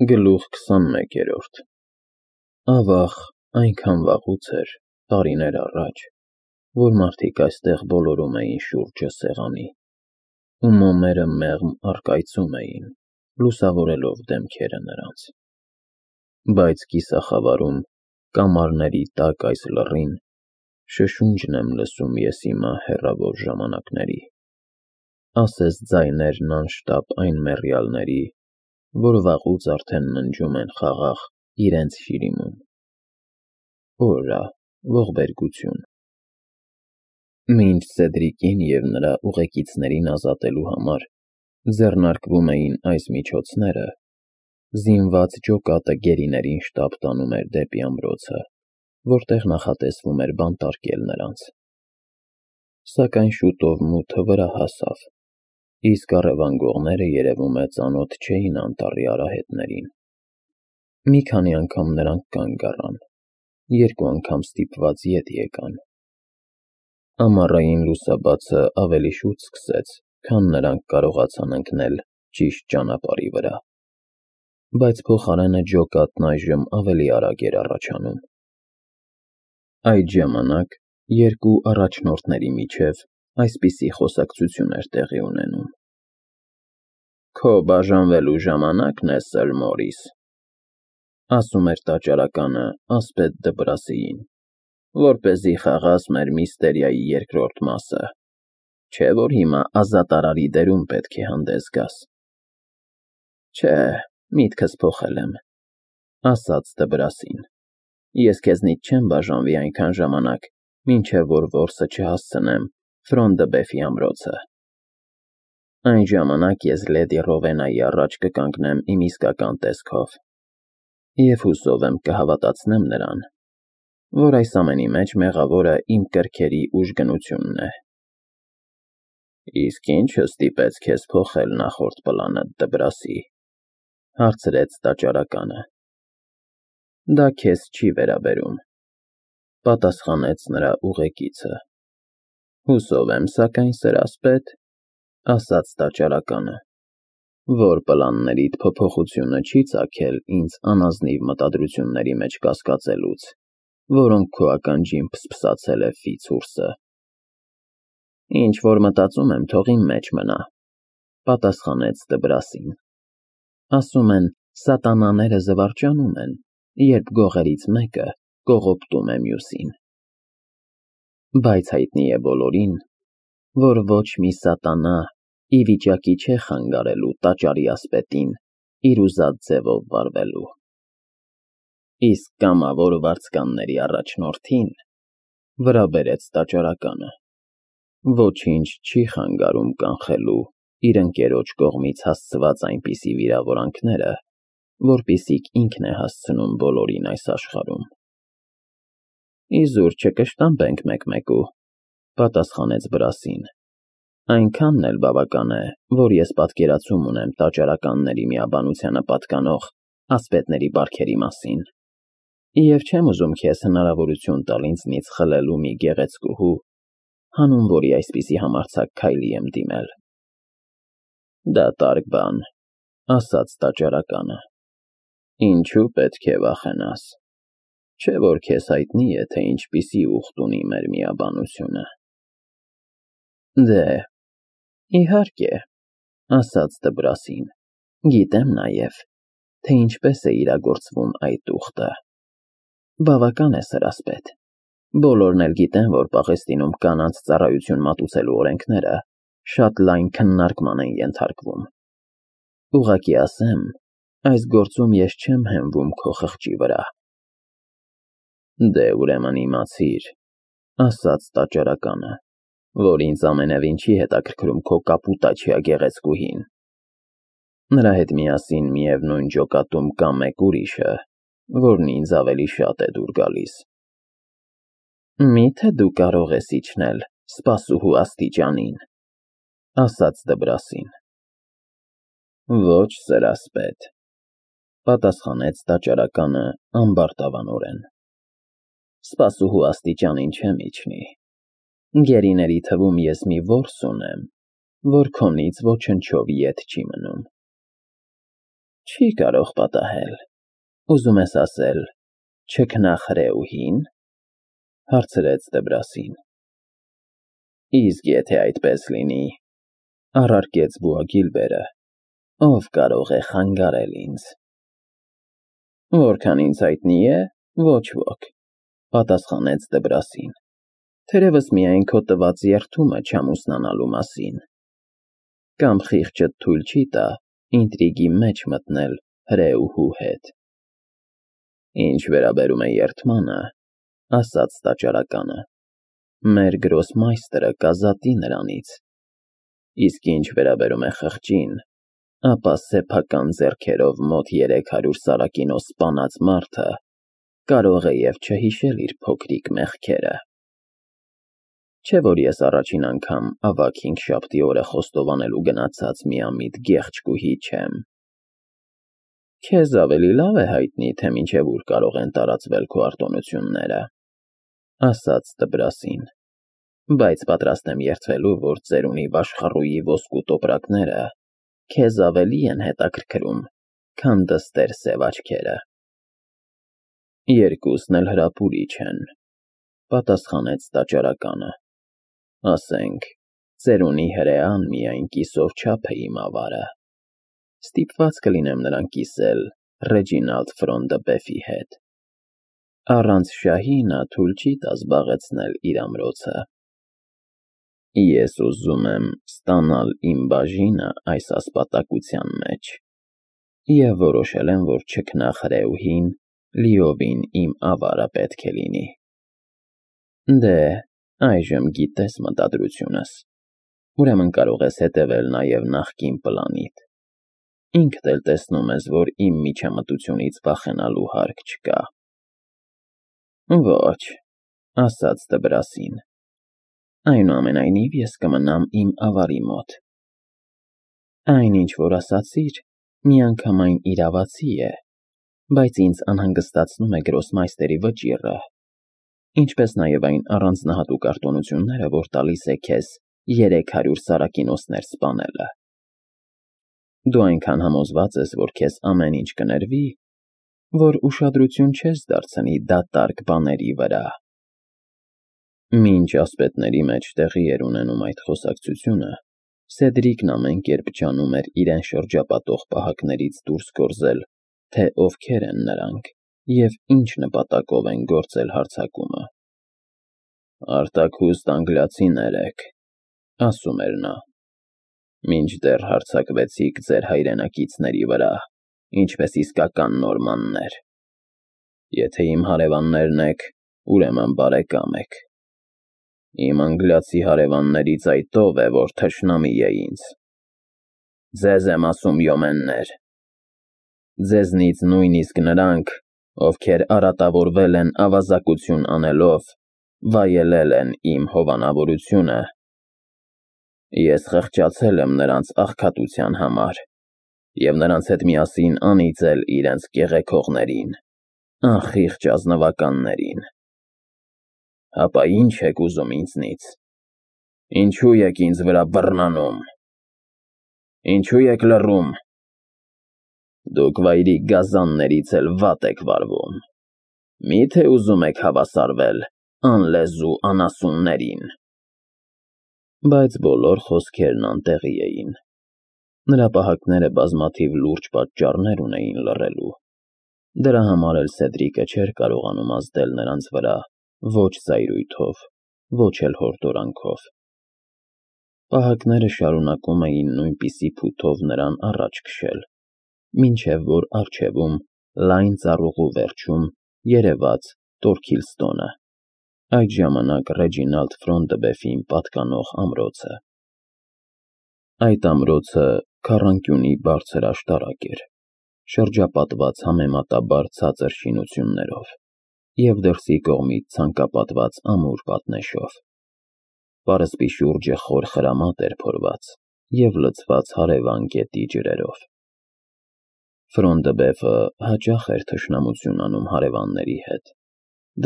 Գլուխ 21 Ավաղ, այնքան վաղուց էր, տարիներ առաջ, որ մարդիկ այստեղ բոլորում էին շուրջը սեղանի, ու մոմերը մեղմ առկայծում էին, լուսավորելով դեմքերը նրանց, բայց կիսախավարում, կամարների տակ այս լռին, շշունջն եմ լսում ես հիմա հեռավոր ժամանակների, ասես ձայներն անշտապ այն մեռյալների, որ վաղուց արդեն ննջում են խաղաղ իրենց շիրիմում, օրա, ողբերգություն, մինչ Սեդրիկին և նրա ուղեկիցներին ազատելու համար ձեռնարկվում էին այս միջոցները, զինված ջոկատը գերիներին շտապ տանում էր դեպի ամրոցը, որտեղ նախատեսվում էր բանտարկել նրանց, սակայն շուտով մութը վրա հասավ, իսկ առևանգողները երևում է ծանոթ չէին անտառի արահետներին, մի քանի անգամ նրանք կանգ առան, երկու անգամ ստիպված ետ եկան, ամառային լուսաբացը ավելի շուտ սկսեց, քան նրանք կարողացան ընկնել ճիշտ ճանապարհի վրա, բայց փոխարենը ջոկատն այժմ ավելի արագ էր առաջանում, այդ ժամանակ երկու առաջնորդների միջև այսպիսի խոսակցություն էր տեղի ունենում. Քո բաժանվելու ժամանակն է, Սըր Մորիս, ասում էր տաճարականը ասպետ Դբրասիին, որպեսզի խաղաս մեր միստերիայի երկրորդ մասը, չէ՞ որ հիմա ազատարարի դերում պետք է հանդես գաս։ Չէ, միտքս փոխել եմ, ասաց Դբրասին, ես քեզնից չեմ բաժանվի այնքան ժամանակ, մինչև որ որսը չհասցնեմ Ֆրոնդբեֆի ամրոցը։ Այն ժամանակ ես լեդի Ռովենայի առաջ կկանգնեմ իմ իսկական տեսքով, և հուսով եմ կհավատացնեմ նրան, որ այս ամենի մեջ մեղավորը իմ կրքերի ուժգնությունն է։ Իսկ ի՞նչը ստիպեց քեզ փոխել նախորդ պլանդ, Դբրասի, հարցրեց տաճարականը։ Դա քեզ չի վերաբերում, պատասխանեց նրա ուղեկիցը։ Հուսով եմ, սակայն, Սըր ասպետ, ասաց տաճարականը, որ պլաններիդ փոփոխությունը չի ծագել ինձ անազնիվ մտադրությունների մեջ կասկածելուց, որոնք քո ականջին փսփսացել է Ֆիցուրսը։ Ինչ որ մտածում եմ, թող իմ մեջ մնա, պատասխանեց Դբրասին։ Ասում են, սատանաները զվարճանում են, երբ գողերից մեկը կողոպտում է մյուսին։ Բայց հայտնի է բոլորին, որ ոչ մի սատանա ի վիճակի չէ խանգարելու տաճարի ասպետին իր ուզած ձևով վարվելու։ Իսկ կամավոր վարձկանների առաջնորդին, վրա բերեց տաճարականը, ոչինչ չի խանգարում կանխելու իր ընկերոջ կողմից հասցված այնպիսի վիրավորանքները, որպիսիք ինքն է հասցնում բոլորին այս աշխարհում։ Իզուր չկշտամբենք մեկ-մեկու, պատասխանեց Բրասին, այնքանն էլ բավական է, որ ես պատկերացում ունեմ տաճարականների միաբանությանը պատկանող ասպետների բարքերի մասին, և չեմ ուզում քեզ հնարավորություն տալ ինձնից խլելու մի գեղեցկուհու, հանուն որի այսպիսի համարձակ քայլի եմ դիմել։ Դատարկ բան, ասաց տաճարականը, ինչու պետք է վախենաս, չէ՞ որ քեզ հայտնի է, թե ինչպիսի ուխտ ունի մեր միաբանությունը։ Դե, իհարկե, ասաց Դբրասին, գիտեմ նաև, թե ինչպես է իրագործվում այդ ուխտը։ Բավական է, Սըր ասպետ, բոլորն էլ գիտեն, որ Պաղեստինում կանանց ծառայություն մատուցելու օրենքները շատ լայն քննարկման են ենթարկվում։ Ուղղակի ասեմ, այս գործում ես չեմ հենվում քո խղճի վրա։ Դե ուրեմն իմացիր, ասաց տաճարականը, որ ինձ ամենևին չի հետաքրքրում քո կապուտաչիա գեղեցկուհին։ Նրա հետ միասին միևնույն ջոկատում կա մեկ ուրիշը, որն ինձ ավելի շատ է դուր գալիս։ Մի՞թե դու կարող ես իջնել սպասուհու աստիճանին, ասաց Դբրասին։ Ոչ, Սըր ասպետ, պատասխանեց տաճարականը ամբարտավանորեն։ Սպասուհու աստիճանին չեմ իջնի։ Գերիների թվում ես մի որս ունեմ, որ քոնից ոչնչով ետ չի մնում։ Չի կարող պատահել։ Ուզում ես ասել, չքնաղ հրեուհի՞ն, հարցրեց Դեբրասին։ Իսկ եթե այդպես լինի, առարկեց Բուագիլբերը, ով կարող է խանգարել ինձ։ Որքան ինձ հայտնի է, ոչ ոք, պատասխանեց Դեբրասին, թերևս միայն քո տված երդումը չամուսնանալու մասին։ Կամ խիղճդ թույլ չի տա ինտրիգի մեջ մտնել հրեուհու հետ։ Ինչ վերաբերում է երդմանը, ասաց տաճարականը, մեր գրոսմայստերը կազատի նրանից, իսկ ինչ վերաբերում է խղճին, ապա սեփական ձեռքերով մոտ 300 սարակինոս սպանած մարդը կարող է և չհիշել իր փոքրիկ մեղքերը։ Չէ՞ որ ես առաջին անգամ ավագ հինգշաբթի օրը խոստովանելու գնացած միամիտ գեղեցկուհի չեմ։ Քեզ ավելի լավ է հայտնի, թե մինչև ուր կարող են տարածվել քո արտոնությունները, ասաց Դբրասին, բայց պատրաստ եմ երդվելու, որ ծերունի Վաշխառուի ոսկու տոպրակները քեզ ավելի են հետաքրքրում, քան դստեր սև աչքերը։ Երկուսն էլ հրապուրիչ են, պատասխանեց տաճարականը, ասենք, ծերունի հրեան միայն կիսով չափ է իմ ավարը, ստիպված կլինեմ նրան կիսել Ռեջինալդ Ֆրոնդըբեֆի հետ, առանց շահի նա թույլ չի տա զբաղեցնել իր ամրոցը։ Ես ուզում եմ ստանալ իմ բաժինը այս ասպատակության մեջ և որոշել եմ, որ չքնաղ հրեուհին լիովին իմ ավարը պետք է լինի։ Դե, այժմ գիտես մտադրությունս, ուրեմն կարող ես հետևել նաև նախկին պլանիդ։ Ինքդ էլ տեսնում ես, որ իմ միջամտությունից վախենալու հարկ չկա։ Ոչ, ասաց Դբրասին, այնուամենայնիվ ես կմնամ իմ ավարի մոտ։ Այն, ինչ որ ասացիր, միանգամայն իրավացի է, բայց ինձ անհանգստացնում է գրոսմայստերի վճիռը, ինչպես նաև այն առանձնահատուկ արտոնությունները, որ տալիս է քեզ 300 սարակինոսներ սպանելը։ Դու այնքան համոզված ես, որ քեզ ամեն ինչ կներվի, որ ուշադրություն չես դարձնի դատարկ բաների վրա։ Մինչ ասպետների մեջ տեղի էր ունենում այդ խոսակցությունը, Սեդրիկն ամեն կերպ ջանում էր իրեն շրջապատող պահակներից դուրս գործել, թե ովքեր են նրանք և ինչ նպատակով են գործել հարձակումը։ Արտաքուստ անգլիացիներ եք, ասում էր նա, մինչդեռ հարձակվեցիք ձեր հայրենակիցների վրա, ինչպես իսկական նորմաններ։ Եթե իմ հարևաններն եք, ուրեմն բարեկամ եք։ Իմ անգլիացի հարևաններից այդ ով է, որ թշնամի է ինձ։ Ձեզ եմ ասում, յոմեններ։ Ձեզնից նույնիսկ նրանք, ովքեր արատավորվել են ավազակություն անելով, վայելել են իմ հովանավորությունը։ Ես խղճացել եմ նրանց աղքատության համար և նրանց հետ միասին անիծել իրենց կեղեքողներին, անխիղճ ազնվականներին։ Հապա ի՞նչ եք ուզում ինձնից։ Ինչու եք ինձ վրա բռնանում։ Ինչու եք լռում։ Դուք վայրի գազաններից էլ վատ եք վարվում։ Մի՞թե ուզում եք հավասարվել անլեզու անասուններին։ Բայց բոլոր խոսքերն անտեղի էին։ Նրա պահակները բազմաթիվ լուրջ պատճառներ ունեին լռելու։ Դրա համար էլ Սեդրիկը չէր կարողանում ազդել նրանց վրա ոչ զայրույթով, ոչ էլ հորդորանքով։ Պահակները շարունակում էին նույնպիսի փութով նրան առաջ քշել, մինչև որ առջևում, լայն ծառուղու վերջում երևաց Տորքիլստոնը, այդ ժամանակ Ռեջինալդ Ֆրոնդըբեֆին պատկանող ամրոցը։ Այդ ամրոցը քառանկյունի բարձր աշտարակ էր, շրջապատված համեմատաբար ցածր շինություններով և դրսի կողմից ցանկապատված ամուր պատնեշով։ Պարսպի շուրջը խոր խրամատ էր փորված և լցված հարևան գետի ջրերով։ Ֆրոնդըբեֆը հաճախ էր թշնամություն անում հարևանների հետ,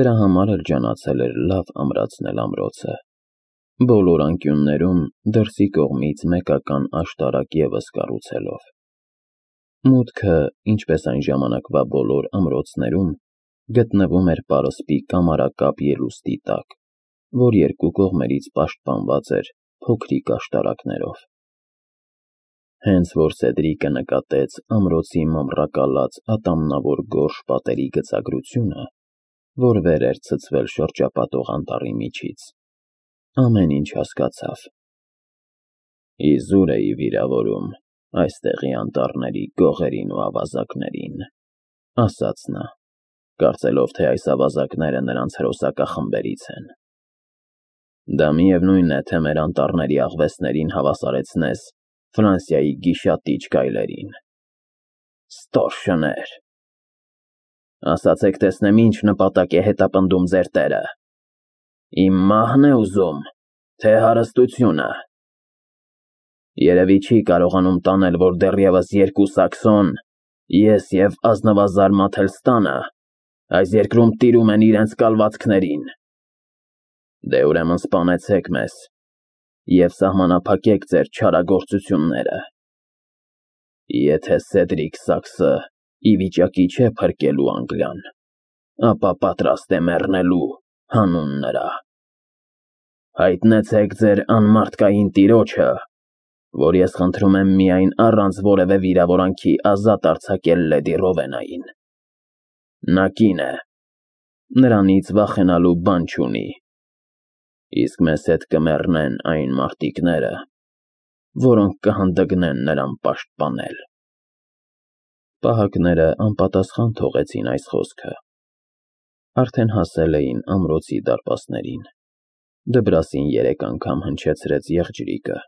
դրա համար էլ ջանացել էր լավ ամրացնել ամրոցը, բոլոր անկյուններում դրսի կողմից մեկական աշտարակ ևս կառուցելով։ Մուտքը, ինչպես այն ժամանակվա բոլոր ամրոցներում, գտնվում էր պարսպի կամարակապ ելուստի տակ, որ երկու կողմերից պաշտպանված էր փոքրիկ աշտարակներով։ Հենց որ Սեդրիկը նկատեց ամրոցի մամռակալած ատամնավոր գորշ պատերի գծագրությունը, որ վեր էր ցցվել շրջապատող անտառի միջից, ամեն ինչ հասկացավ։ Իզուր էի վիրավորում այստեղի անտառների գողերին ու ավազակներին, ասաց նա, կարծելով, թե այս ավազակները նրանց հրոսակախմբերից են։ Դա միևնույն է, թե մեր անտառների աղվեսներին հավասարեցնես Ֆրանսիայի գիշատիչ գայլերին։ Ստոր շներ։ Ասացեք տեսնեմ ինչ նպատակ է հետապնդում ձեր տերը։ Իմ մահն է ուզում, թե հարստությունը։ Երևի չի կարողանում տանել, որ դեռևս երկու սաքսոն, ես և ազնվազար Մաթելստանը, այս երկրում տիրում են իրենց կալվածքներին։ Դե ուրեմն սպանեցեք մեզ և սահմանափակեք ձեր չարագործությունները։ Եթե Սեդրիկ Սաքսը ի վիճակի չէ փրկելու Անգլիան, ապա պատրաստ է մեռնելու հանուն նրա։ Հայտնեցեք ձեր անմարդկային տիրոջը, որ ես խնդրում եմ միայն առանց որևէ վիրավորանքի ազատ արձակել լեդի Ռովենային։ Նա կին է, նրանից վախենալու բան չունի, իսկ մեզ հետ կմեռնեն այն մարտիկները, որոնք կհանդգնեն նրան պաշտպանել։ Պահակները անպատասխան թողեցին այս խոսքը։ Արդեն հասել էին ամրոցի դարպասներին։ Դբրասին 3 անգամ հնչեցրեց եղջյուրիկը։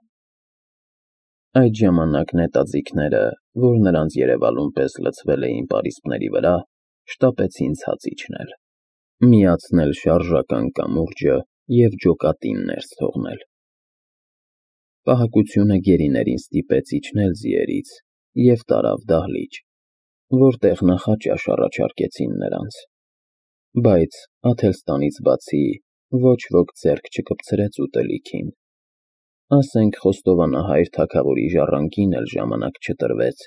Այդ ժամանակ նետաձիգները, որ նրանց երևալուն պես լցվել էին պարիսպների վրա, շտապեցին ցած իջնել, միացնել շարժական կամուրջը և ջոկատին ներս թողնել։ Պահակությունը գերիներին ստիպեց իջնել ձիերից և տարավ դահլիճ, որտեղ նախաճաշ առաջարկեցին նրանց, բայց Աթելստանից բացի ոչ ոք ձեռք չկպցրեց ուտելիքին, ասենք խոստովանահայր թագավորի ժառանգին էլ ժամանակ չտրվեց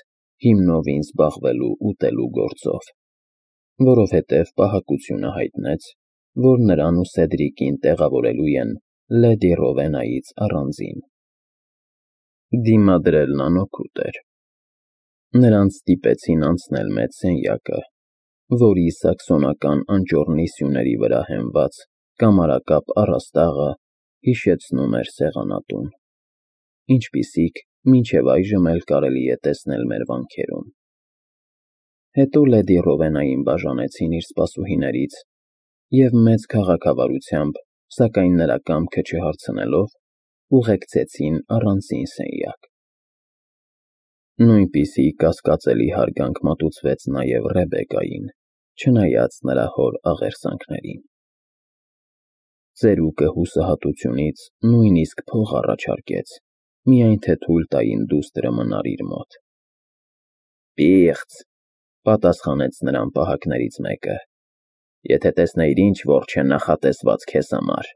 հիմնովին զբաղվելու ուտելու գործով, որովհետև պահակությունը հայտնեց, որ նրան ու Սեդրիկին տեղավորելու են լեդի Ռովենայից առանձին։ Դիմադրելն անօգուտ էր։ Նրանց ստիպեցին անցնել մեծ սենյակը, որի սաքսոնական անճոռնի սյուների վրա հենված կամարակապ առաստաղը հիշեցնում էր սեղանատուն, ինչպիսիք մինչև այժմ էլ կարելի է տեսնել մեր վանքերում։ Հետո լեդի Ռովենային բաժանեցին իր սպասուհիներից և մեծ քաղաքավարությամբ, սակայն նրա կամքը չհարցնելով, ուղեկցեցին առանձին սենյակ։ Նույնպիսի կասկածելի հարգանք մատուցվեց նաև Ռեբեկային, չնայած նրա հոր աղերսանքներին։ Ծերուկը հուսահատությունից նույնիսկ փող առաջարկեց, միայն թե թույլ տային դուստրը մնար իր մոտ։ Պիղծ, պատասխանեց նրան պահակներից մեկը, եթե տեսնեիր ինչ որջ է նախատեսված քեզ համար,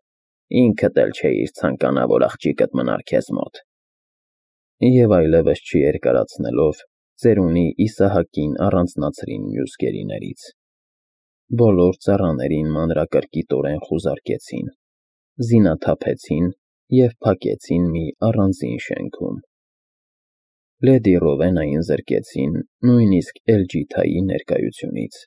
ինքդ էլ չէիր ցանկանա, որ աղջիկդ մնար քեզ մոտ։ Եվ այլևս չերկարացնելով, ծերունի Իսահակին առանձնացրին մյուս գերիներից։ Բոլոր ծառաներին մանրակրկիտորեն խուզարկեցին, զինաթափեցին և փակեցին մի առանձին շենքում։ Լեդի Ռովենային զրկեցին նույնիսկ Էլջիթայի ներկայությունից։